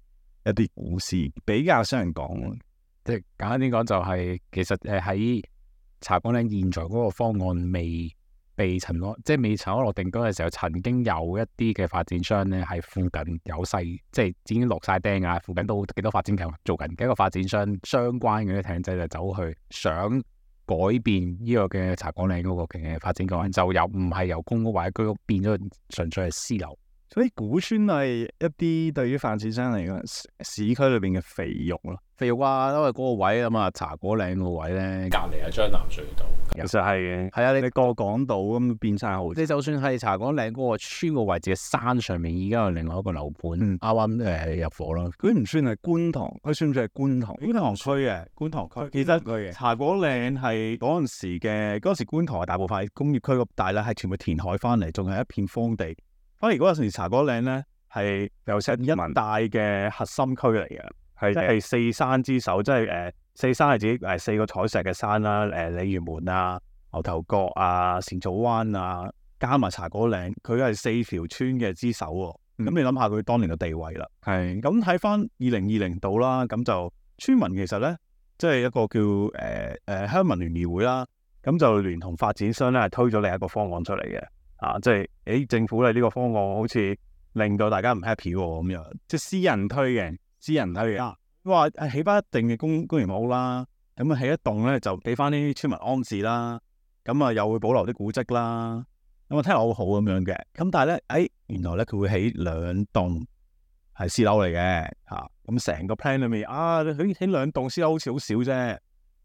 一啲故事，比較少人講。即係簡單啲講就係、其實喺茶果嶺現在嗰個方案未被塵埃，即係未塵埃落定嗰陣時候，曾經有一啲嘅發展商咧係附近有細，即係已經落晒釘啊，附近都幾多發展計劃做緊嘅一個發展商相關嘅啲艇仔就走去想改變呢個嘅茶果嶺嗰個嘅發展計劃，就又唔係由公屋或者居屋變咗純粹係私樓。所以古村係一啲對於發展商嚟講，市區裏邊嘅肥肉咯。肥肉啊，因為嗰個位咁啊，茶果嶺個位咧，隔離係將南隧道。其實係嘅，係啊，你過港島咁變晒好。你就算係茶果嶺嗰個村個位置嘅山上面，已經有另外一個樓盤啱啱入伙啦。佢唔算係觀塘，佢算唔算係觀塘？觀塘區嘅觀塘區，其實茶果嶺係嗰陣時觀塘係大部分係工業區咁大咧，係全部填海翻嚟，仲係一片荒地。反而嗰陣時茶果嶺咧係有成一大嘅核心區嚟嘅，係四山之首，即係四山係自己四個採石嘅山啦，鯉魚門啊、牛頭角啊、善草灣啊，加埋茶果嶺，佢係四條村嘅之首喎。咁你諗下佢當年嘅地位啦。係咁睇翻2020度啦，咁就村民其實咧，即係一個叫鄉民聯誼會啦，咁就聯同發展商咧係推咗另一個方案出嚟嘅。即係政府咧呢個方案好似令到大家唔 happy 喎咁樣，即係私人推嘅，話起翻一定嘅公營屋啦，咁啊起一棟咧就俾翻啲村民安置啦，咁啊又會保留啲古蹟啦，咁啊聽落好好咁樣嘅，咁但係咧原來咧佢會起2棟係私樓嚟嘅咁成個 plan 裏面佢起2棟私樓好似好少啫，咁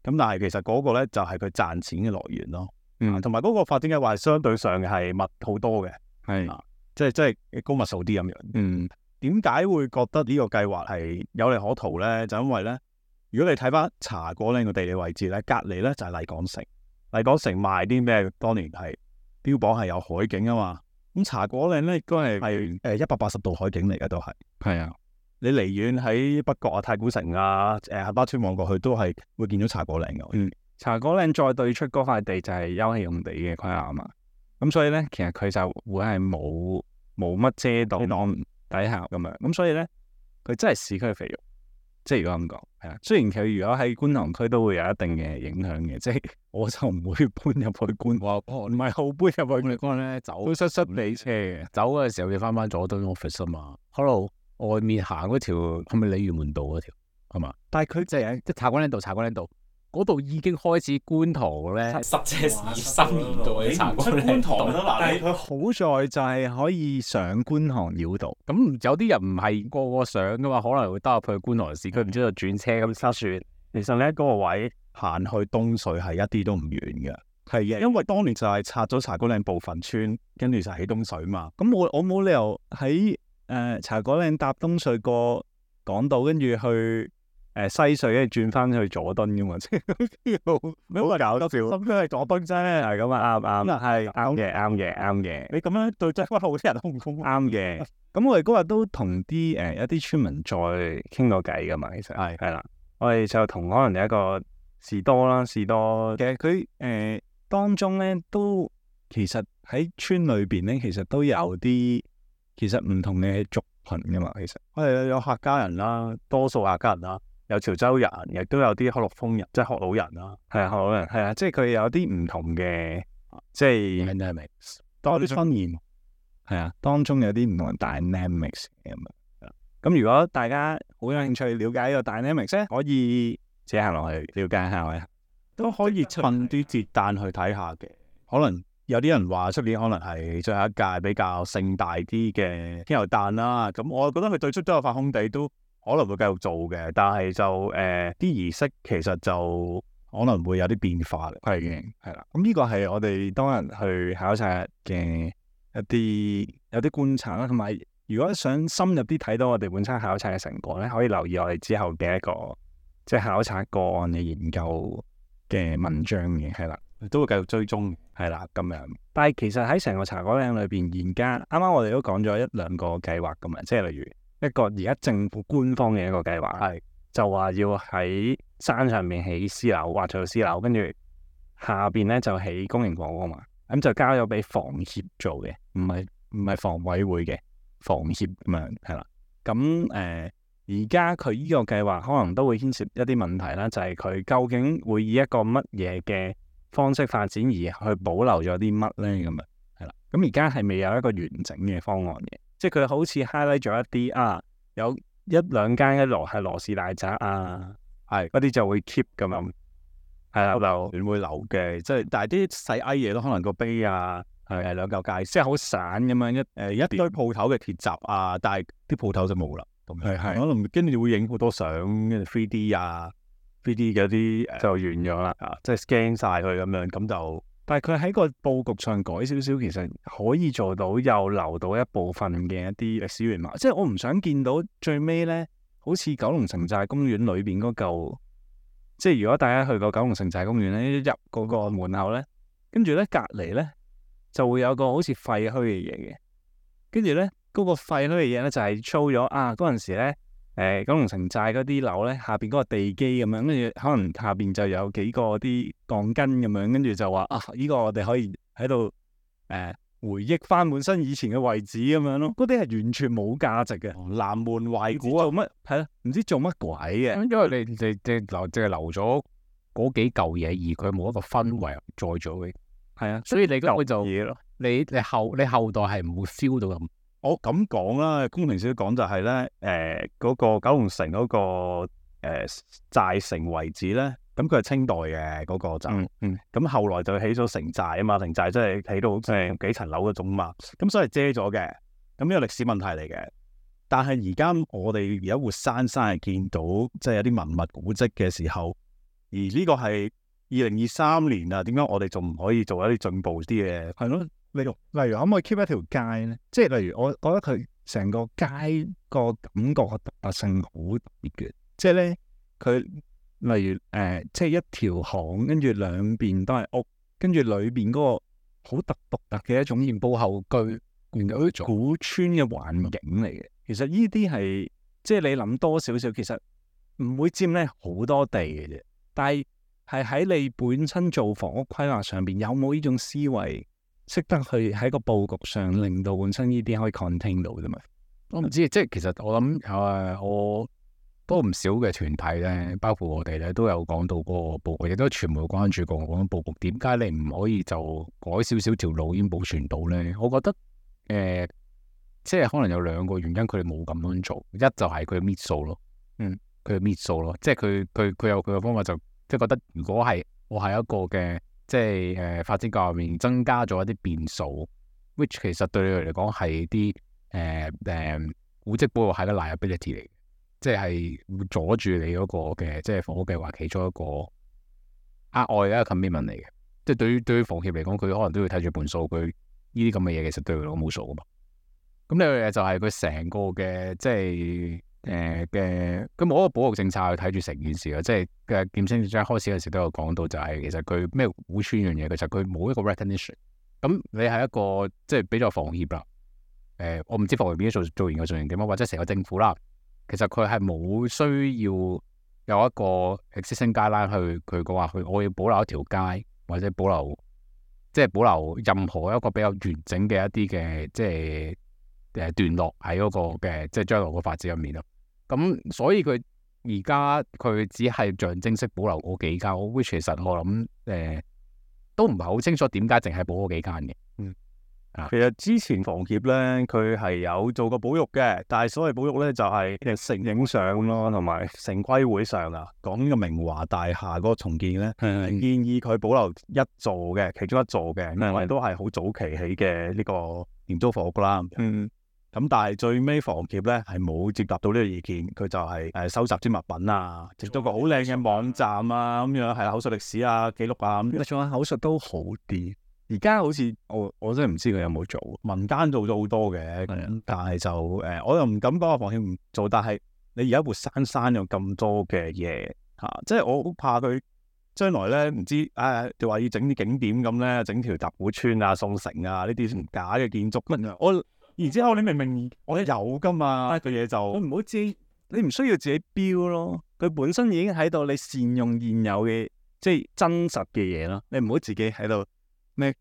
但係其實嗰個咧就係佢賺錢嘅來源咯。同埋嗰個發展計劃相對上係密好多嘅，即係高密數啲咁樣。點解會覺得呢個計劃係有利可圖咧？就因為咧，如果你睇翻茶果嶺個地理位置咧，隔離咧就係麗港城。麗港城賣啲咩？當年係標榜係有海景啊嘛。咁茶果嶺咧，應該係180度海景嚟嘅都係。係啊，你離遠喺北角啊、太古城啊、杏花村望過去都係會見到茶果嶺嘅。茶果嶺再對出嗰塊地就係休憩用地嘅規劃啊嘛，咁所以咧其實佢就會係冇乜遮擋底下咁樣，咁所以咧佢真係市區肥肉，即係如果咁講係啊。雖然佢如果喺觀塘區都會有一定嘅影響嘅，即係我就唔會搬入去觀塘，唔係好搬入去。你講咧走都塞地車嘅，走嗰陣時候要翻佐敦 office 啊嘛。Hello，外面行嗰條係咪鯉魚門道嗰條係嘛？但係佢即係茶果嶺道。嗰度已經開始觀塘咧，塞車2-3年度嘅茶果嶺道，但係佢好在就係可以上觀塘繞道。咁有啲人唔係個個上噶嘛，可能會兜入去觀塘市區，唔知道轉車咁塞船。其實咧嗰個位行去東隧係一啲都唔遠嘅，係嘅，因為當年就係拆咗茶果嶺部分村，跟住就起東隧嘛。咁我冇理由喺茶果嶺搭東隧過港島，跟住去西隧跟住轉翻去佐敦噶嘛，即係好搞笑。咁佢係佐敦啫，係咁啊，啱係啱嘅。你咁樣對真係好啲人都唔公平。啱嘅。咁我哋嗰日都同啲一啲村民再傾過偈噶嘛，其實係啦。我哋就同可能有一個士多，其實佢當中咧都其實喺村裏邊咧，其實都有啲其實唔同嘅族群噶嘛，其實有客家人啦，多數客家人啦，有潮州人，亦都有啲克洛豐人，即係學老人啦。係啊，學老人係啊，即係佢有啲唔同嘅，即係 dynamics 多啲分言。係啊，當中有啲唔同嘅 dynamics 咁樣。咁如果大家好有興趣了解呢個 dynamics 咧，可以自己行落去了解下嘅，都可以趁啲節誕去睇下嘅。可能有啲人話出年可能係最後一屆比較盛大啲嘅天后誕啦。咁我覺得佢對出都有塊空地，都可能會繼續做嘅。但係就啲儀式其實就可能會有啲變化嘅。係啦。咁呢個係我哋當日去考察嘅有啲觀察啦，同埋如果想深入啲睇到我哋本身考察嘅成果咧，可以留意我哋之後嘅一個即係考察個案嘅研究嘅文章嘅，係啦，都會繼續追蹤，係啦咁樣。但係其實喺成個茶果嶺裏邊，而家啱啱我哋都講咗一兩個計劃咁啊，即係例如一個而家政府官方嘅一個計劃，係就話要喺山上面起私樓，劃做私樓，跟住下邊咧就起公營房屋嘛。咁就交咗俾房協做嘅，唔係房委會嘅，房協咁樣係啦。咁而家佢呢個計劃可能都會牽涉一啲問題啦，就係佢究竟會以一個乜嘢嘅方式發展而去保留咗啲乜咧？咁啊係啦。咁而家係未有一個完整嘅方案嘅，即係佢好似 highlight 咗一啲有一兩間一羅係羅氏大宅係嗰啲就會 keep 咁樣。係啦，就會留嘅，即係但係啲細埃嘢都可能個碑係兩嚿界，即係好散咁樣一堆鋪頭嘅鐵閘但係啲鋪頭就冇啦。咁可能跟住會影好多相，跟住 3D 3D 嘅啲就完咗啦，即係 scan 晒佢咁樣，咁就但係佢喺個佈局上改少少，其實可以做到又留到一部分嘅一啲歷史原貌。即係我唔想見到最尾咧，好似九龍城寨公園裏邊嗰嚿。即係如果大家去過九龍城寨公園咧，入嗰個門口咧，跟住咧隔離咧就會有個好似廢墟嘅嘢嘅，跟住咧嗰個廢墟嘅嘢咧就係 show 咗嗰陣時咧九龍城寨嗰啲樓咧下邊嗰個地基咁樣，跟住可能下邊就有幾個啲鋼筋咁樣，跟住就話呢個我哋可以喺度回憶翻本身以前嘅位置咁樣咯，嗰啲係完全冇價值嘅，南門懷古做乜係咯？唔知做乜鬼嘅，因為你淨係留咗嗰幾嚿嘢，而佢冇一個氛圍再咗嘅，係啊，所以你根本就嘢咯。你後代係唔會 feel 到咁。我咁講啦，工程師講就係咧，嗰個九龍城嗰個寨城遺址咧。咁佢係清代嘅嗰個就，咁後來就起咗城寨啊嘛，城寨即係起到即係幾層樓嗰種嘛，咁所以遮咗嘅，咁呢個歷史問題嚟嘅。但係而家我哋而家活生生係見到，即係有啲文物古蹟嘅時候，而呢個係2023年啊，點解我哋仲唔可以做一啲進步啲嘅？係咯，例如可唔可以 keep 一條街咧？即係例如我覺得佢成個街個感覺嘅特性好特別嘅，即係咧佢。例如即係一條巷，跟住兩邊都係屋，跟住裏邊嗰個好獨特嘅一種鹽埔後居，原來嗰種古村嘅環境嚟嘅。其實呢啲係即係你諗多少少，其實唔會佔咧好多地嘅啫。但係喺你本身做房屋規劃上邊，有冇呢種思維，識得去喺個佈局上令到本身呢啲可以 contain 到啫嘛？我唔知，即係其實我諗我。都唔少嘅團體咧，包括我哋咧，都有講到嗰個佈局，亦都傳媒關注過嗰種佈局。點解你唔可以就改少少條路已經保存到咧？我覺得即係可能有兩個原因，佢哋冇咁樣做。一就係佢搣數咯，佢搣數咯，即係佢有佢嘅方法，就即係覺得如果係我係一個嘅即係發展計劃入面增加咗一啲變數 ，which 其實對你哋嚟講係啲古蹟保護係個 liability 嚟嘅。即係會阻住你嗰個嘅即係房屋計劃其中一個額外嘅 commitment 嚟嘅。即係對於房協嚟講，佢可能都要睇住盤數，佢呢啲咁嘅嘢其實對佢嚟講冇數噶嘛。咁呢樣嘢就係佢成個嘅即係佢冇一個保育政策去睇住成件事嘅，即係嘅劍青一開始嘅時都有講到，就係其實佢咩古村樣嘢，其實佢冇一個 recognition。咁你係一個即係比較房協啦，我唔知房協邊啲做研究做成點啊，或者成個政府啦，其實佢係冇需要有一個 existing guideline去佢講話我要保留一條街，或者保留任何一個比較完整嘅一啲嘅即係段落喺嗰個嘅即係將來個發展入面咯。咁所以佢而家佢只係象徵式保留嗰幾間，which 其實我諗都唔係好清楚點解淨係保嗰幾間嘅。其實之前房協咧，佢係有做過保育嘅，但係所謂保育咧就係城影相咯，同埋城規會上啊講呢個明華大廈嗰個重建咧，建議佢保留一座嘅，其中一座嘅，因為都係好早期起嘅呢個廉租房屋啦。咁但係最尾房協咧係冇接納到呢個意見，佢就係收集啲物品啊，整咗個好靚嘅網站啊，咁樣係啦，口述歷史啊、記錄啊咁。仲有口述都好啲。而家好似我真係唔知佢有冇做，民間做咗好多嘅，但係就我又唔敢講話房協唔做，但係你而家活生生有咁多嘅嘢嚇，即係我好怕佢將來咧唔知就話要整啲景點咁咧，整條搭古村啊、宋城啊呢啲假嘅建築乜啊，然之後你明明我有噶嘛個嘢就唔好自己，你唔需要自己標咯，佢本身已經喺度，你善用現有嘅即係真實嘅嘢咯，你唔好自己喺度。咩？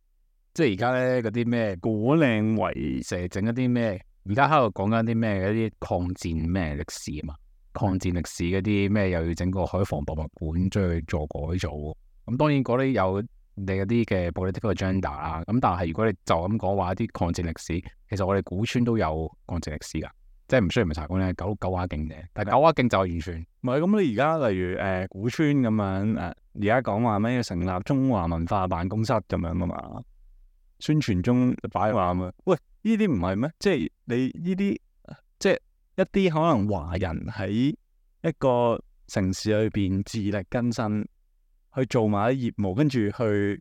即係而家咧嗰啲咩果嶺圍成日整一啲咩？而家喺度講緊啲咩？一啲抗戰咩歷史啊嘛？抗戰歷史嗰啲咩又要整個海防博物館將佢做改造。咁當然嗰啲有你嗰啲嘅 political agenda 啦。咁但係如果你就咁講話一啲抗戰歷史，其實我哋古村都有抗戰歷史㗎。即係唔需要咪查講咧，九華徑嘅，但係九華徑就完全唔係咁。你而家例如古村咁樣而家講話咩要成立中華文化辦公室咁樣啊嘛，宣傳中擺話嘛，喂呢啲唔係咩？即係你呢啲即係一啲可能華人喺一個城市裏邊自力更生去做埋啲業務，跟住佢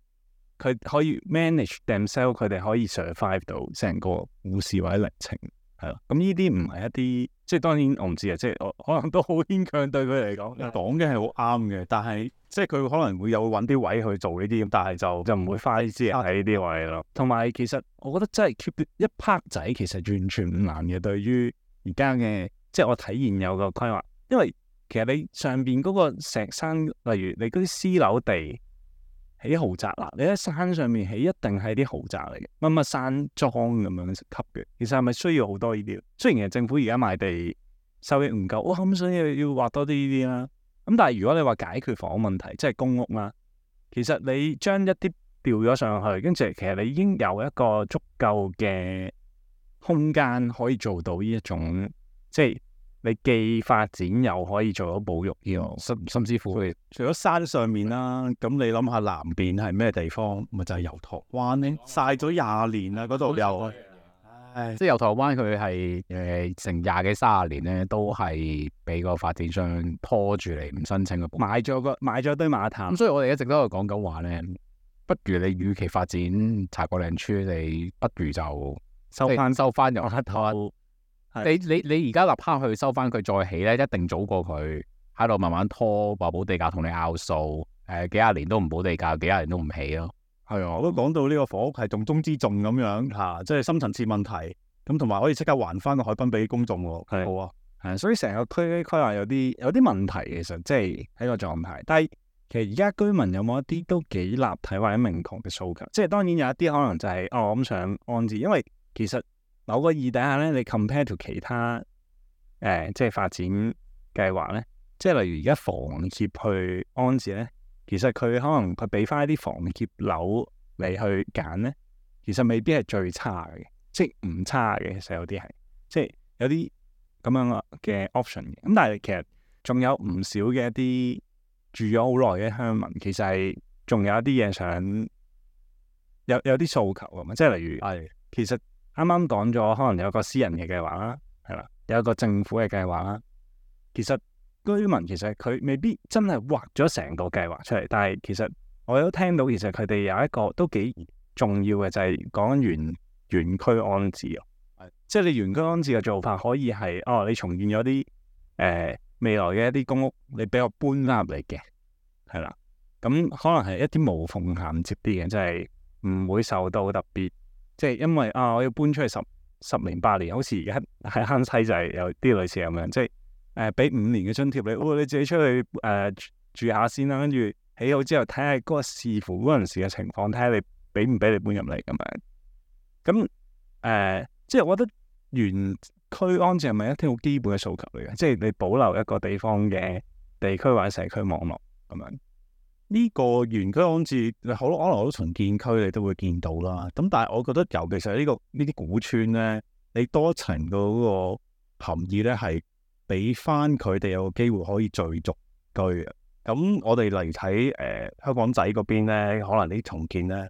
可以 manage themselves，佢哋可以 survive 到成個故事或者歷程。係咯，咁呢啲唔係一啲，即係當然我唔知啊，即係我可能都好牽強對佢嚟講，講嘅係好啱嘅，但係即係佢可能會有揾啲位去做呢啲，但係就唔會花啲資源喺呢啲位咯。同埋其實我覺得真係 keep 一 part 仔，其實完全唔難嘅。對於而家嘅即係我體現有個規劃，因為其實你上邊嗰個石山，例如你嗰啲私樓地。起豪宅啦，你喺山上面起一定係啲豪宅嚟嘅，乜乜山莊咁樣級嘅。其實係咪需要好多呢啲？雖然其實政府而家賣地收益唔夠，咁所以要畫多啲呢啲啦。咁但係如果你話解決房屋問題，即係公屋啦，其實你將一啲調咗上去，跟住其實你已經有一個足夠嘅空間可以做到呢一種，即係。你既發展又可以做到保育呢個，甚至乎除咗山上面啦，咁你諗下南邊係咩地方？咪就係油塘灣咧，曬咗20年啦，嗰度又，即係油塘灣佢係成20幾30年咧，都係俾個發展商拖住嚟唔申請嘅，買咗堆馬潭。咁所以我哋一直都係講緊話咧，不如你與其發展茶果嶺村，你不如就收翻油塘。你而家立刻去收翻佢再起咧，一定早過佢喺度慢慢拖，話補地價同你拗數，幾廿年都唔補地價，幾廿年都唔起咯。係啊，我都講到呢個房屋係重中之重咁樣嚇，即係深層次問題。咁同埋可以即刻還翻個海濱俾公眾喎。係好啊，係，所以成個區規劃有啲問題，其實即係喺個狀態。但係其實而家居民有冇一啲都幾立體或者明確嘅訴求？即係當然有一啲可能就係我咁想安置，因為其實。某個意底下咧，你 compare to 其他即係發展計劃咧，即係例如而家房協去安置咧，其實佢可能佢俾翻一啲房協樓你去揀咧，其實未必係最差嘅，即係唔差嘅。其實有啲係，即係有啲咁樣嘅 option 嘅。咁但係其實仲有唔少嘅一啲住咗好耐嘅鄉民，其實係仲有一啲嘢想有啲訴求㗎嘛，即係例如其實。啱啱講咗，可能有個私人嘅計劃啦，係啦，有一個政府嘅計劃啦。其實居民其實佢未必真係畫咗成個計劃出嚟，但係其實我都聽到，其實佢哋有一個都幾重要嘅，就係講緊原區安置啊。即係你原區安置嘅做法可以係你重建咗啲未來嘅一啲公屋，你俾我搬翻入嚟嘅，係啦。咁可能係一啲無縫銜接啲嘅，即係唔會受到特別，即係因為我要搬出去十年8年，好似而家喺坑西就係有啲類似咁樣，即係俾5年嘅津貼你，你自己出去住下先啦，跟住起好之後睇下嗰個視乎嗰陣時嘅情況，睇下你俾唔俾你搬入嚟咁樣。咁即係我覺得原區安置係咪一啲好基本嘅訴求嚟嘅？即係你保留一個地方嘅地區或者社區網絡咁樣。呢個原區安置，可能好多重建區你都會見到啦。咁但係我覺得，尤其是呢啲古村咧，你多層嗰個含義咧，係俾翻佢哋有個機會可以聚族居嘅。咁我哋例如睇香港仔嗰邊咧，可能啲重建咧，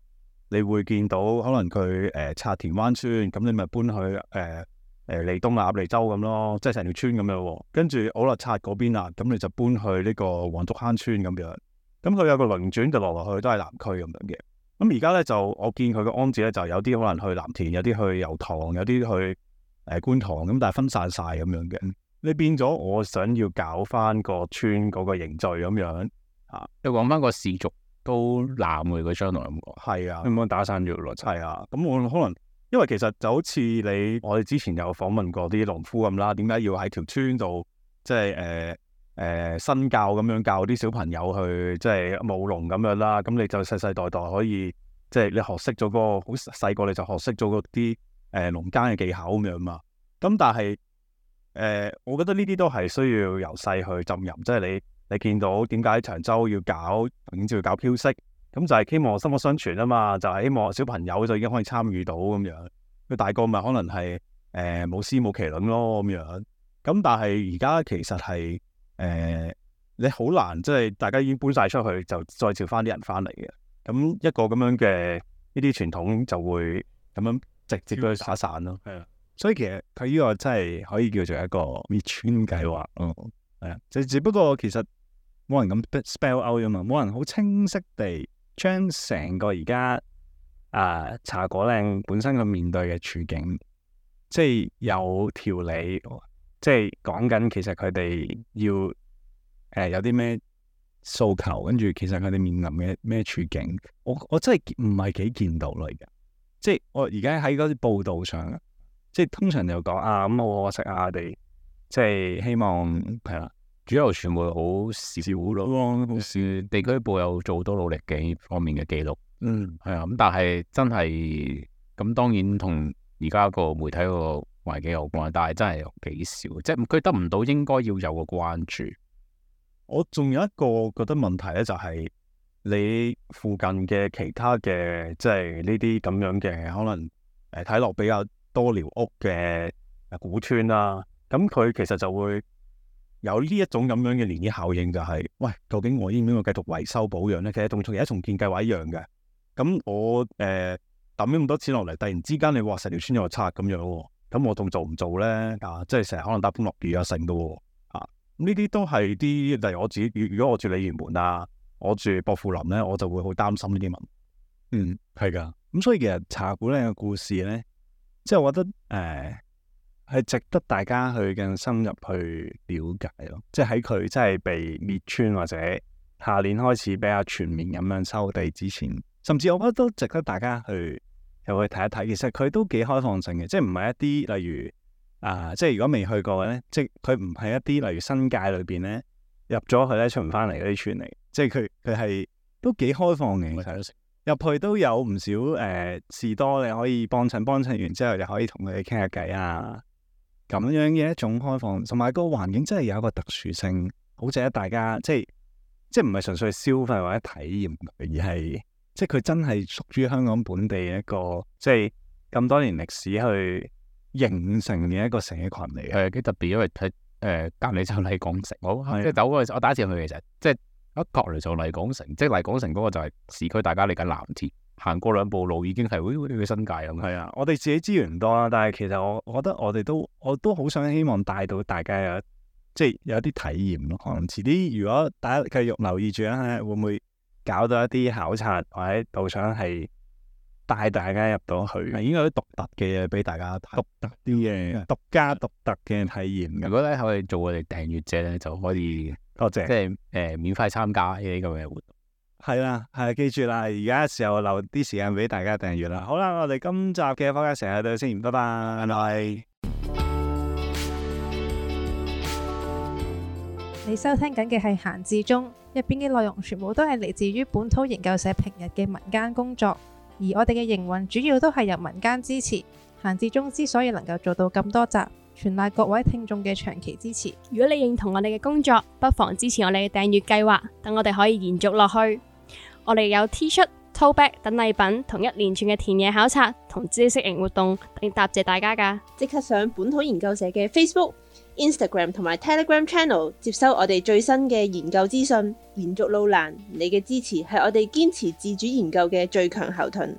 你會見到可能佢拆田灣村，咁你咪搬去利東啊、鴨脷洲咁咯，即係成條村咁樣喎。跟住好啦，拆嗰邊啦，咁你就搬去呢個黃竹坑村咁樣。咁佢有個輪轉就落去都係南區咁樣嘅。咁而家咧就我見佢個安置咧，就有啲可能去藍田，有啲去油塘，有啲去觀塘咁，但係分散晒咁樣嘅。你變咗我想要搞翻個村嗰個凝聚咁樣啊，你講翻個氏族都濫嘅，佢將來有冇講？係啊，有冇打散咗咯？係啊，咁我可能因為其實就好似我哋之前有訪問過啲農夫咁啦，點解要喺條村度即係新教咁樣教啲小朋友去即係務農咁樣啦，咁你就世世代代可以即係你學識咗嗰個好細個你就學識咗嗰啲農耕嘅技巧咁樣嘛。咁但係我覺得呢啲都係需要由細去浸淫，即係你見到點解長洲要搞永照要搞飄色，咁就係希望薪火相傳啊嘛，就係希望小朋友就已經可以參與到咁樣。佢大個咪可能係舞獅舞麒麟咯咁樣。咁但係而家其實係你好難，即係大家已經搬晒出去，就再召翻啲人翻嚟嘅。咁一個咁樣嘅呢啲傳統就會咁樣直接去打散咯。係啊，所以其實佢呢個真係可以叫做一個滅村計劃咯。係啊，就只不過其實冇人咁 spell out 啊嘛，冇人好清晰地將成個而家茶果嶺本身佢面對嘅處境，即係有條理。即係講緊，其實佢哋要有啲咩訴求，跟住其實佢哋面臨嘅咩處境，我真係唔係幾見到咯而家。即係我而家喺嗰啲報道上，即係通常就講咁好可惜啊，我哋即係希望係啦，主流傳媒好少咯，好少地區報有做好多努力嘅方面嘅記錄。係啊，咁但係真係咁，當然同而家個媒體個環境有關，但係真係幾少，即係佢得唔到應該要有嘅關注。我仲有一個覺得問題咧，就係你附近嘅其他嘅，即係呢啲咁樣嘅可能睇落比較多寮屋嘅古村啦，咁佢其實就會有呢一種咁樣嘅漣漪效應，就係喂，究竟我應唔應該繼續維修保養咧？其實同而家重建計劃一樣嘅。咁我抌咗咁多錢落嚟，突然之間你話成條村又拆咁樣喎。咁我仲做唔做咧？即係成日可能打風落雨啊，成噶喎。呢啲都係啲，例如我自己，如果我住鯉魚門啊，我住薄扶林咧，我就會好擔心呢啲問題。係噶。咁所以其實茶果嶺嘅故事咧，即係我覺得係值得大家去更深入去了解咯。即係喺佢真係被滅村或者下年開始比較全面咁樣收地之前，甚至我覺得都值得大家去又去睇一睇。其實佢都幾開放性嘅，即係唔係一啲例如即係如果未去過嘅咧，即係佢唔係一啲例如新界裏邊咧入咗去咧出唔翻嚟嗰啲村嚟，即係佢係都幾開放嘅。入去都有唔少士多，你可以幫襯完之後，就可以同佢哋傾下偈啊，咁樣嘅一種開放，同埋個環境真係有一個特殊性，好值得大家即係唔係純粹消費或者體驗，而係即係佢真係屬於香港本地一個即係咁多年歷史去形成嘅一個社群嚟嘅。係幾特別，因為睇隔離就麗港城，即係走嗰陣時，我第一次去其實即係一隔離就麗港城，即係麗港城嗰個就係市區，大家嚟緊藍田，行過2步路已經係好似去新界咁。係啊，我哋自己資源唔多啦，但係其實我覺得我都好想希望帶到大家有啲體驗咯。可能遲啲如果大家繼續留意住咧，會唔會搞到一啲考察或者導賞係帶大家入到去，係應該有啲獨特嘅嘢俾大家睇，獨特啲嘅、獨家獨特嘅體驗嘅。如果咧可以做我哋訂閱者咧，就可以多謝，即係免費參加呢啲咁嘅活動。係啦，係記住啦，而家時候留啲時間俾大家訂閱啦。好啦，我哋今集嘅podcast成日到先，拜拜，拜拜。你收聽緊嘅係閒置中，入邊嘅內容全部都係嚟自於本土研究社平日嘅民間工作，而我哋嘅營運主要都係由民間支持。閒置中之所以能夠做到咁多集，全賴各位聽眾嘅長期支持。如果你認同我哋嘅工作，不妨支持我哋嘅訂閱計劃，等我哋可以延續落去。我哋有 T 恤、tote bag 等禮品，同一連串嘅田野考察同知識型活動，嚟答謝大家㗎。即刻上本土研究社嘅 Facebook、Instagram 同埋 Telegram Channel 接收我哋最新嘅研究資訊。延續路難，你嘅支持係我哋堅持自主研究嘅最強後盾。